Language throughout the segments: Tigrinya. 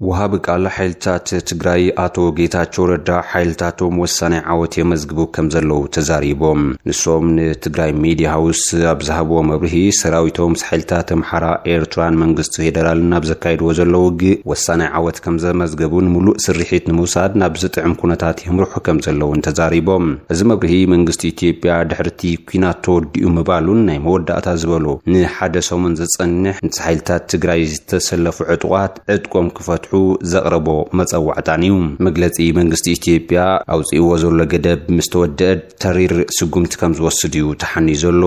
ወሃቢ ቃል ሓይልታት ትግራይ ኣቶ ጌታቸው ረዳ፣ ሓይልታቶም ወሳኒ ዓወት የመዝግቡ ከም ዘለዉ ተዛሪቦም። ንሶም ንትግራይ ሚድያ ሃውስ ኣብ ዝሃብዎ መብርሂ፣ ሰራዊቶም ምስ ሓይልታት ኣምሓራ፣ ኤርትራን መንግስቲ ፌደራልን ኣብ ዘካይድዎ ዘለዉ ውግእ ወሳኒ ዓወት ከም ዘመዝገቡን ምሉእ ስርሒት ንምውሳድ ናብ ዝጥዕም ኩነታት የምርሑ ከም ዘለውን ተዛሪቦም። እዚ መብርሂ መንግስቲ ኢትዮጵያ ድሕርቲ ኲናት ተወዲኡ ምባሉን ናይ መወዳእታ ዝበሎ ንሓደ ሰሙን ዝጸንሕ ምስ ሓይልታት ትግራይ ዝተሰለፉ ዕጡቓት ዕጥቆም ክፈትሑ ዘቕረቦ መጸዋዕታን እዩ። መግለጺ መንግስቲ ኢትዮጵያ ኣውጺእዎ ዘሎ ገደብ ምስ ተወደአ ተሪር ስጉምቲ ከም ዝወስድ እዩ ተሓኒዩ ዘሎ።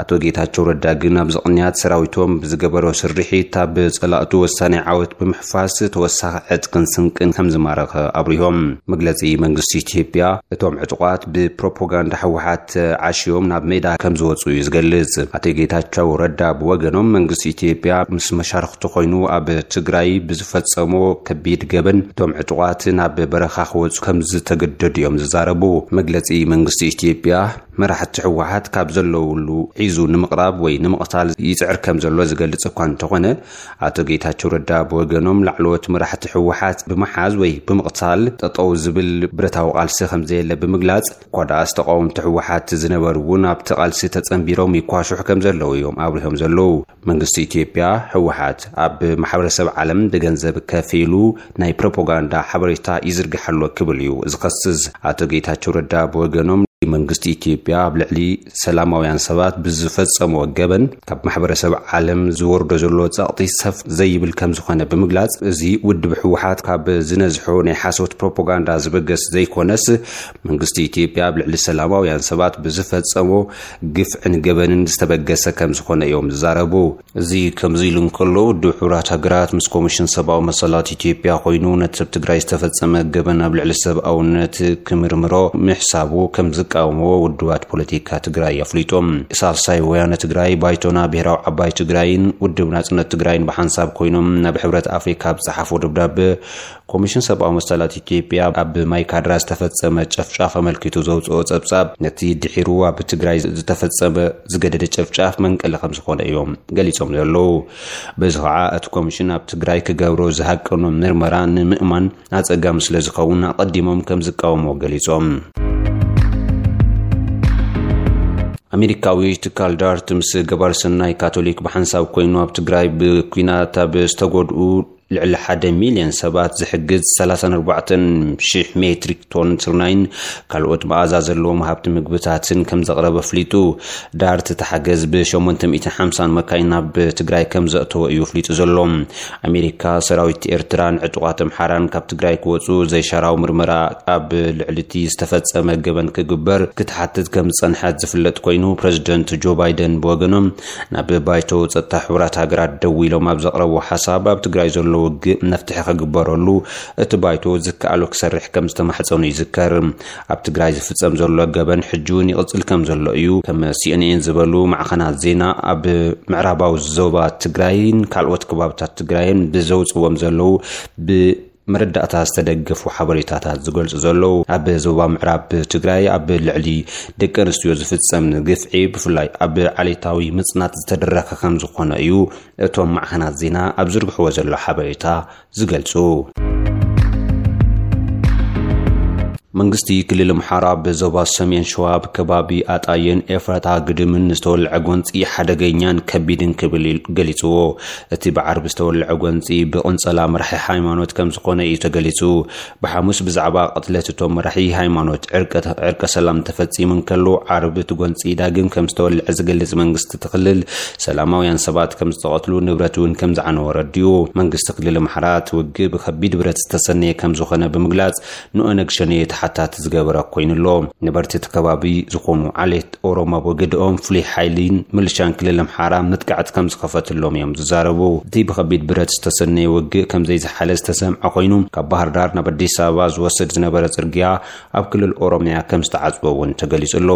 ኣቶ ጌታቸው ረዳ ግን ኣብዚ ቅንያት ሰራዊቶም ብዝገበሮ ስርሒት ኣብ ጸላእቱ ወሳኒ ዓወት ብምሕፋስ ተወሳኺ ዕጥቅን ስንቅን ከም ዝማረኸ ኣብሪሆም። መግለጺ መንግስቲ ኢትዮጵያ እቶም ዕጡቓት ብፕሮፓጋንዳ ህወሓት ዓሽዮም ናብ ሜዳ ከም ዝወጹ እዩ ዝገልጽ። ኣቶ ጌታቸው ረዳ ብወገኖም መንግስቲ ኢትዮጵያ ምስ መሻርኽቱ ኮይኑ ኣብ ትግራይ ብዝፈጸሞ ከቢድ ገበን እቶም ዕጡቓት ናብ በረኻ ክወጹ ከም ዝተገደዱ እዮም ዝዛረቡ። መግለጺ መንግስቲ ኢትዮጵያ መራሕቲ ህወሓት ካብ ዘለውሉ ሒዙ ንምቕራብ ወይ ንምቕታል ይጽዕር ከም ዘሎ ዝገልጽ እኳ እንተኾነ፣ ኣቶ ጌታቸው ረዳ ብወገኖም ላዕለዎት መራሕቲ ህወሓት ብምሓዝ ወይ ብምቕታል ጠጠው ዝብል ብረታዊ ቃልሲ ከም ዘየለ ብምግላጽ፣ እኳ ደኣስ ተቃወምቲ ህወሓት ዝነበሩ እውን ኣብቲ ቃልሲ ተጸንቢሮም ይኳሹሕ ከም ዘለዉ እዮም ኣብሪሆም ዘለዉ። መንግስቲ ኢትዮጵያ ህወሓት ኣብ ማሕበረሰብ ዓለም ብገንዘብ ከፊሉ ናይ ፕሮፓጋንዳ ሓበሬታ ይዝርግሕ ኣሎ ክብል እዩ ዝኸስስ። ኣቶ ጌታቸው ረዳ ብወገኖም መንግስቲ ኢትዮጵያ ኣብ ልዕሊ ሰላማውያን ሰባት ብዝፈጸሞ ገበን ካብ ማሕበረሰብ ዓለም ዝወርዶ ዘሎ ጸቕጢ ሰፍ ዘይብል ከም ዝኾነ ብምግላጽ፣ እዚ ውድብ ህወሓት ካብ ዝነዝሖ ናይ ሓሶት ፕሮፓጋንዳ ዝበገስ ዘይኮነስ መንግስቲ ኢትዮጵያ ኣብ ልዕሊ ሰላማውያን ሰባት ብዝፈጸሞ ግፍዕን ገበንን ዝተበገሰ ከም ዝኾነ እዮም ዝዛረቡ። እዚ ከምዚ ኢሉ እንከሎ፣ ውድብ ሕቡራት ሃገራት ምስ ኮሚሽን ሰብኣዊ መሰላት ኢትዮጵያ ኮይኑ ነቲ ኣብ ትግራይ ዝተፈጸመ ገበን ኣብ ልዕሊ ሰብኣውነት ክምርምሮ ምሕሳቡ ከም ዝቃወምዎ ውድባት ፖለቲካ ትግራይ ኣፍሊጦም። ሳልሳይ ወያነ ትግራይ፣ ባይቶና ብሄራዊ ዓባይ ትግራይን ውድብ ናጽነት ትግራይን ብሓንሳብ ኮይኖም ናብ ሕብረት ኣፍሪካ ኣብ ዝጸሓፎ ደብዳበ፣ ኮሚሽን ሰብኣዊ መሰላት ኢትዮጵያ ኣብ ማይካድራ ዝተፈጸመ ጨፍጫፍ ኣመልኪቱ ዘውፅኦ ጸብጻብ፣ ነቲ ድሒሩ ኣብ ትግራይ ዝተፈጸመ ዝገደደ ጨፍጫፍ መንቀሊ ከም ዝኾነ እዮም ገሊጾም ዘለዉ። በዚ ኸዓ እቲ ኮሚሽን ኣብ ትግራይ ክገብሮ ዝሃቀኖ ምርመራ ንምእማን ኣጸጋሚ ስለ ዝኸውን ኣቐዲሞም ከም ዝቃወምዎ ገሊጾም። ኣሜሪካዊ ትካል ዳርት ምስ ገባር ሰናይ ካቶሊክ ብሓንሳብ ኮይኑ ኣብ ትግራይ ብኲናት ኣብ ዝተጎድኡ ልዕሊ ሓደ ሚልዮን ሰባት ዝሕግዝ ሰላሳን ኣርባዕተን ሽሕ ሜትሪክ ቶን ስርናይን ካልኦት መኣዛ ዘለዎም ሃብቲ ምግብታትን ከም ዘቕረበ ኣፍሊጡ። ዳርት እቲ ሓገዝ ብ ሸሞንተ ሚእትን ሓምሳን መካይን ናብ ትግራይ ከም ዘእተወ እዩ ኣፍሊጡ ዘሎ። ኣሜሪካ፣ ሰራዊት ኤርትራን ዕጡቓት ኣምሓራን ካብ ትግራይ ክወፁ ዘይሻራዊ ምርመራ ኣብ ልዕሊ እቲ ዝተፈጸመ ገበን ክግበር ክትሓትት ከም ዝጸንሐት ዝፍለጥ ኮይኑ፣ ፕረዚደንት ጆ ባይደን ብወገኖም ናብ ባይቶ ጸጥታ ሕቡራት ሃገራት ደዊሎም ኣብ ዘቕረብዎ ሓሳብ፣ ኣብ ትግራይ ዘሎ ውግእ መፍትሒ ክግበረሉ እቲ ባይቶ ዝከኣሎ ክሰርሕ ከም ዝተማሕጸኑ ይዝከር። ኣብ ትግራይ ዝፍጸም ዘሎ ገበን ሕጂ እውን ይቕጽል ከም ዘሎ እዩ። ከም ሲ ኤን ኤን ዝበሉ ማዕኸናት ዜና ኣብ ምዕራባዊ ዞባ ትግራይን ካልኦት ከባብታት ትግራይን ብዘውጽዎም ዘለዉ ብ መረዳእታ ዝተደገፉ ሓበሬታታት ዝገልጹ ዘለዉ። ኣብ ዞባ ምዕራብ ትግራይ ኣብ ልዕሊ ደቂ ኣንስትዮ ዝፍጸም ግፍዒ፣ ብፍላይ ኣብ ዓሌታዊ ምጽናት ዝተደረኸ ከም ዝኾነ እዩ እቶም ማዕኸናት ዜና ኣብ ዝርግሕዎ ዘሎ ሓበሬታ ዝገልጹ። መንግስቲ ክልል ኣምሓራ ብዞባ ሰሜን ሸዋ ኣብ ከባቢ ኣጣየን ኤፍራታ ግድምን ዝተወልዐ ጎንፂ ሓደገኛን ከቢድን ክብል ኢል-፣ ገሊፅዎ። እቲ ብዓርቢ ዝተወልዐ ጎንፂ ብቕንፀላ መራሒ ሃይማኖት ከም ዝኾነ እዩ ተገሊፁ። ብሓሙስ ብዛዕባ ቅትለት እቶም መራሒ ሃይማኖት ዕርቀ፣ ዕርቀ ሰላም ተፈፂሙ እንከሎ፣ ዓርቢ እቲ ጎንፂ ዳግም ከም ዝተወልዐ ዝገልፅ መንግስቲ እቲ ክልል፣ ሰላማውያን ሰባት ከም ዝተቐትሉ፣ ንብረት እውን ከም ዝዓነወ ረዲኡ። መንግስቲ ክልል ኣምሓራ እቲ ውግእ ብከቢድ ብረት ዝተሰነየ ከም ዝኾነ ብምግላፅ፣ ንኦነግ ሸኔ ተሓታቲ ዝገበረ ኮይኑ ኣሎ። ነበርቲ እቲ ከባቢ ዝኾኑ ዓሌት ኦሮሞ ኣብ ወገድኦም ፍሉይ ሓይሊን ምልሻን ክልል ኣምሓራ መጥቃዕቲ ከም ዝኸፈትሎም እዮም ዝዛረቡ። እቲ ብኸቢድ ብረት ዝተሰነየ ውግእ ከም ዘይዝሓለ ዝተሰምዐ ኮይኑ፣ ካብ ባህር ዳር ናብ ኣዲስ ኣበባ ዝወስድ ዝነበረ ጽርግያ ኣብ ክልል ኦሮምያ ከም ዝተዓጽወ እውን ተገሊጹ ኣሎ።